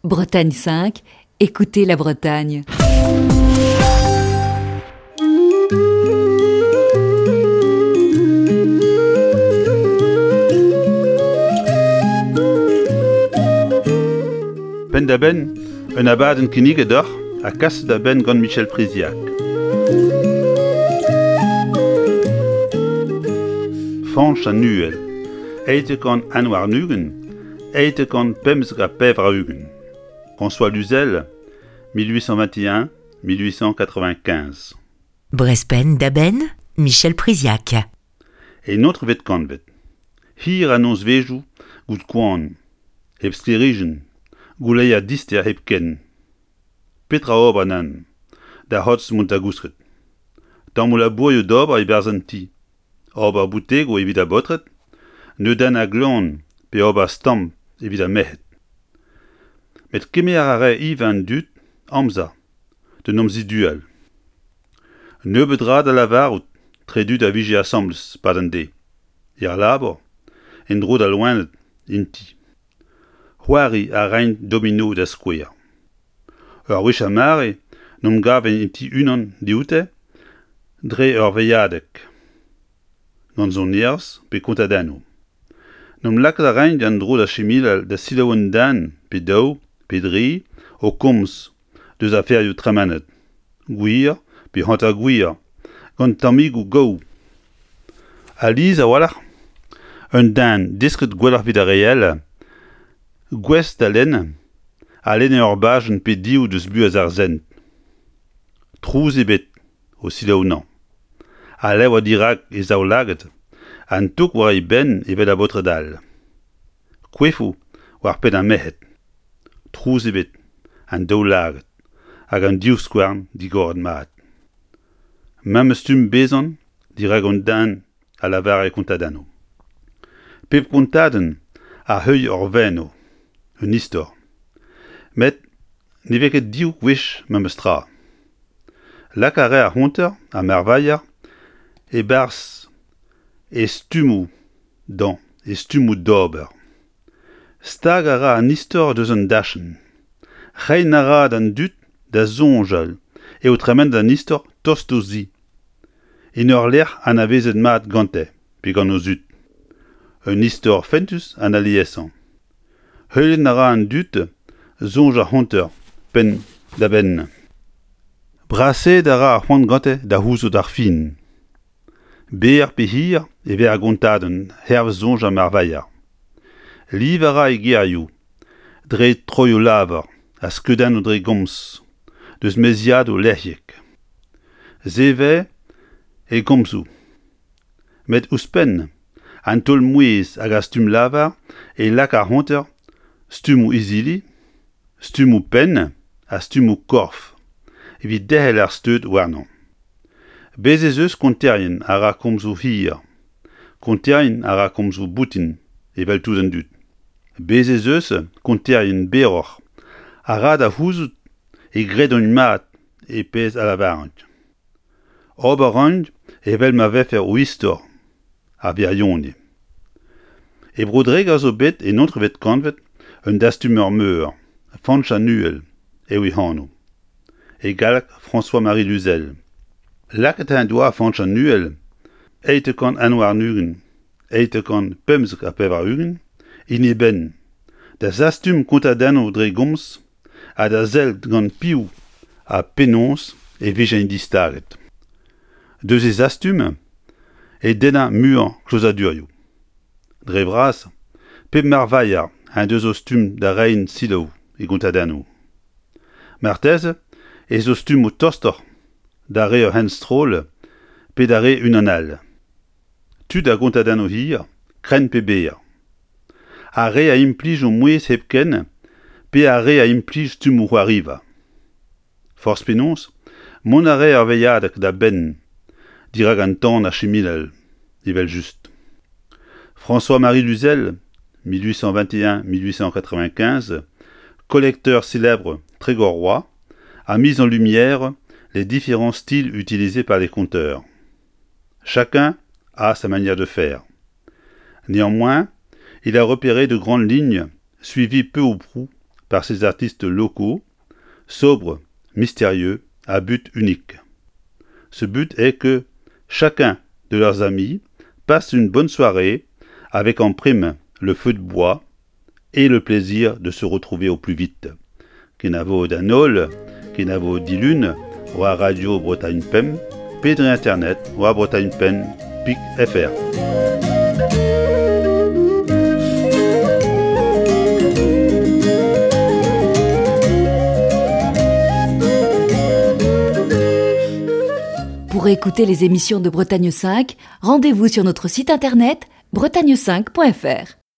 Bretagne 5, écoutez la Bretagne. Penn-da-benn, un abadenn kinniget deoc'h ha kaset da benn gant Michel Priziac. Fañch an Uhel, 821, 895. François Luzel, 1821-1895. Brezh penn-da-benn, Michel Priziac. En etrvet kantved, hir a nozvezhioù gout koan, hep sklêrijenn, gouleier dister hepken. Petra ober nann? Da c'hortoz mont da gousket. Tammoù labourioù d'ober e-barzh an ti. Ober boutegoù evit ar baotred, neudennañ glan pe ober stamm evit ar merc'hed. Met kemer a rae ivez an dud amzer d'en em zidual. Nebeut dra da lavarout tre dud a vije asambles 'pad an deiz, er labour, en-dro d'al loened en ti. C'hoari a raent domino da skouer. Ur wech ar mare n'omp gaven en ti unan dioute dre ur veilhadeg, gant sonerezh pe kontadennoù. N'omp lakaat a raint an dro da chemilal da selaou un den pe daou pe dri o komz deus aferioù tremenet, gwir pe hanter-gwir, gant tammigoù gaou. Alies a-walc'h, un den desket gwelloc'h evit ar re all, gouest da lenn, a lenne ur bajenn pe div deus buhez ar sent. Trouz ebet o selaou anezhañ. Al levr dirak e zaoulagad, an tok war e benn evel ar baotred all. Koefoù war penn ar merc'hed. Trouz ebet, an daoulagad hag an divskouarn digoret mat. Memes stumm bezan dirak un den a lavare kontadennoù. Pep kontadenn a heuilh ur veno, un istor. Met ne vez ket div gwech memes tra. Lak a rae ar c'honter ha marvailher e-barzh e stummoù dañ e stummoù d'ober. Stag a ra an istor deus an dachenn. Reiñ a ra d'an dud da soñjal eo tremenet an istor tost o zi, en ur lec'h anavezet mat gante pe gant o zud. Un istor fentus an aliesañ. Heuliañ a ra an dud soñj ar c'honter penn-da-benn. Brasaet a ra ar c'hoant gante da c'houzout ar fin. Berr pe hir e vez ar gontadenn hervez soñj ar marvailher. Liv a ra e gerioù dre troioù-lavar ha skeudennoù dre gomz deus meziadoù lec'hiek. Se 'vez e gomzoù. Met ouzhpenn an taol-mouezh hag ar stumm-lavar e lak ar c'honter stummoù izili, stummoù penn ha stummoù korf evit derc'hel ar steud warnañ. Bez' ez eus konterien a ra komzoù hir, konterien a ra komzoù boutin evel tout an dud. Bez' ez eus konterien berroc'h a ra da c'houzout e gredont mat e pezh a lavarint. Ober 'raint evel ma vefe o istor ar wirionez. E Bro-Dreger zo bet en etrvet kantved un dastumer meur, Fañch an Uhel eo e anv. E galleg François-Marie Luzel. Lakaet en doa Fañch an Uhel 821, 895 en e benn da zastum kontadennoù dre gomz ha da sellet gant piv ha penaos e vijent distaget. Deus e zastum e dennañ muiañ klozadurioù. Dre vras, pep marvailher en deus o stumm da reiñ selaou e gontadennoù. Marteze ez o stummoù tostoc'h da re ur c'henstroll pe da re unan all. Tud a gontadennoù hir, krenn pe berr. Ar re a implij o mouezh hepken pe ar re a implij stummoù c'hoariva. Forzh penaos, mont a rae ar veilhadeg da benn dirak an tan a chiminal, evel-just. François-Marie Luzel, 1821-1895, collecteur célèbre Trégorrois, a mis en lumière les différents styles utilisés par les conteurs. Chacun a sa manière de faire. Néanmoins, il a repéré de grandes lignes suivies peu ou prou par ces artistes locaux, sobres, mystérieux, à but unique. Ce but est que chacun de leurs amis passe une bonne soirée avec en prime le feu de bois et le plaisir de se retrouver au plus vite. Kenavo d'an holl, kenavo dilun, war Radio Bretagne Pemp, pe dre internet war Bretagne Pen pik fr. Pour écouter les émissions de Bretagne 5, rendez-vous sur notre site internet bretagne5.fr.